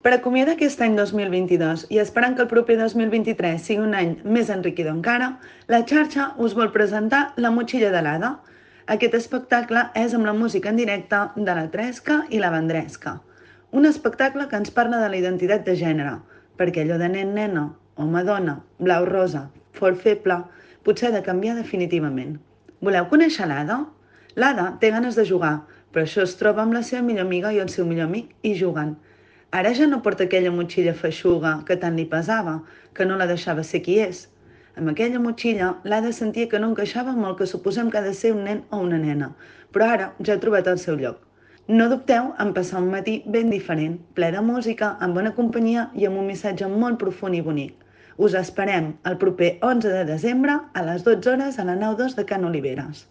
Per acomiadar aquest any 2022 i esperant que el proper 2023 sigui un any més enriquidor encara, la xarxa us vol presentar La motxilla de l'Ada. Aquest espectacle és amb la música en directe de la Tresca i la Vendresca. Un espectacle que ens parla de la identitat de gènere, perquè allò de nen-nena, home-dona, blau-rosa, fort-feble, potser ha de canviar definitivament. Voleu conèixer l'Ada? L'Ada té ganes de jugar, però això es troba amb la seva millor amiga i el seu millor amic i juguen. Ara ja no porta aquella motxilla feixuga que tant li pesava, que no la deixava ser qui és. Amb aquella motxilla, l'Ada sentia que no encaixava amb el que suposem que ha de ser un nen o una nena, però ara ja ha trobat el seu lloc. No dubteu en passar un matí ben diferent, ple de música, amb bona companyia i amb un missatge molt profund i bonic. Us esperem el proper 11 de desembre a les 12 hores a la nau 2 de Can Oliveres.